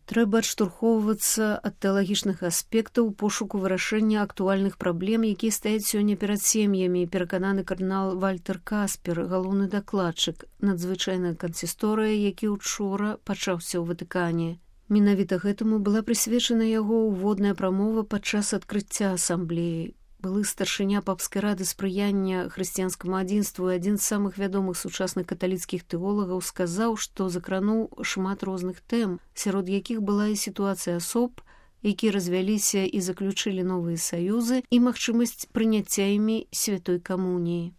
Трэба адштурхоўвацца ад тэалагічных аспектаў у пошуку вырашэння актуальных праблем, якія стаяць сёння перад сем'ямі, перакананы кардынал Вальтер Каспер, галоўны дакладчык, надзвычайная кансісторыя, які учора пачаўся ў Ватыкане. Менавіта гэтаму была прысвечана яго ўводная прамова падчас адкрыцця асамблеі. Былы старшыня папскай рады спрыяння хрысціянскаму адзінству і адзін з самых вядомых сучасных каталіцкіх тэолагаў сказаў, што закрануў шмат розных тэм, сярод якіх была і сітуацыя асоб, якія развяліся і заключылі новыя саюзы, і магчымасць прыняцця імі святой камуніі.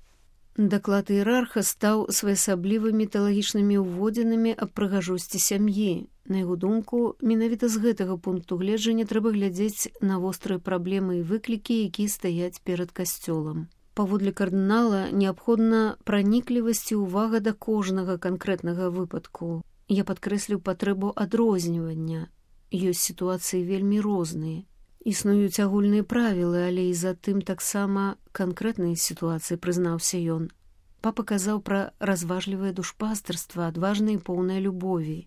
Даклад іерарха стаў своеасаблівымі тэалагічнымі ўводзінамі аб прыгажосці сям'і. На яго думку, менавіта з гэтага пункту гледжання трэба глядзець на вострыя праблемы і выклікі, якія стаяць перад касцёлам. Паводле кардынала неабходна праніклівасць і ўвага да кожнага канкрэтнага выпадку. Я падкрэсліў патрэбу адрознівання. Ёсць сітуацыі вельмі розныя. Існуюць агульныя правілы, але і затым таксама канкрэтныя сітуацыі, прызнаўся ён. Папа казаў пра разважлівае душпастырства, адважнае і поўнае любові.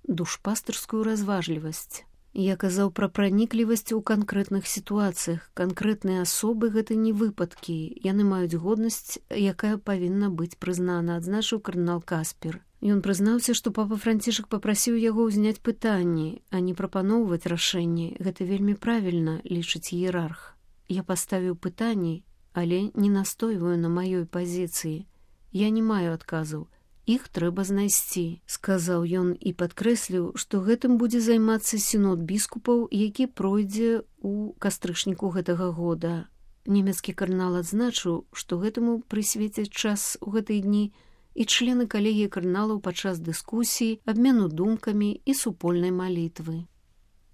Душпастырскую разважлівасць. Я казаў пра праніклівасць у канкрэтных сітуацыях. Канкрэтныя асобы гэта не выпадкі. Яны маюць годнасць, якая павінна быць прызнана, адзначыў кардынал Каспер. Ён прызнаўся, што папа Францішак папрасіў яго ўзняць пытанні, а не прапаноўваць рашэнні. Гэта вельмі правільна, лічыць іерарх. Я паставіў пытанні, але не настойваю на маёй пазіцыі. Я не маю адказаў. Іх трэба знайсці, сказаў ён і падкрэсліў, што гэтым будзе займацца сінод біскупаў, які пройдзе ў кастрычніку гэтага года. Нямецкі кардынал адзначыў, што гэтаму прысвецяць час у гэтыя дні і члены калегіі кардыналаў падчас дыскусій, абмену думкамі і супольнай малітвы.